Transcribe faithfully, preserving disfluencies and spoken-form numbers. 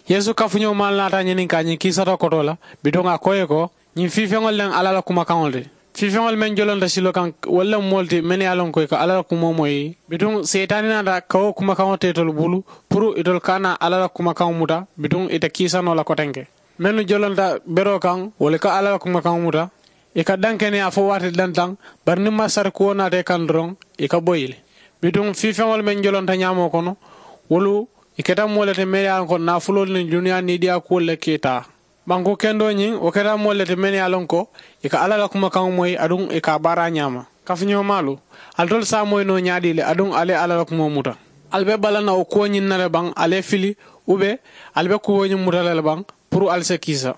Yeesu kafuñoo maalu naata a ñininkaa ñiŋ kiisata kotoo la, bituŋ a ko ì ye ko, ñiŋ fiifeŋolu le mu alla la kumakaŋolu ti. Fiifeŋolu meŋ jolonta siloo kaŋ, wolu le mu moolu ti mennu ye a loŋ ko ì ka alla la kumoo moyi. Bituŋ seetaani naata ka wo kumakaŋo te itolu bulu, puru itolu ka a naa alla la kumakaŋo muta, bituŋ ì te kiisa noo la kotenke. Mennu jolonta beroo kaŋ, wolu ka alla la kumakaŋo muta. Ì ka dankeneyaa fo waati dantaŋ, bari niŋ masarikuwo naata ì kaŋ doroŋ, ì ka bo ì le. Bituŋ fiifeŋolu meŋ jolonta ñaamoo kono, wolu ì keta moo le ti mennu ye a loŋ ko naafuloolu niŋ duniyaa niidiyaakuwolu le ka ì taa. Banku kendoo ñiŋ, wo keta moolu le ti mennu ye a loŋ ko ì ka alla la kumakaŋo moyi aduŋ ì ka a baara a ñaama. Kafuñoomaalu, alitolu se a moyi noo ñaadii le aduŋ ali ye alla la kumoo muta? Ali be bala na wo kuwo ñiŋ na le baŋ ali ye fili? Ube ali be kuwo ñiŋ muta la le baŋ puru ali se kiisa?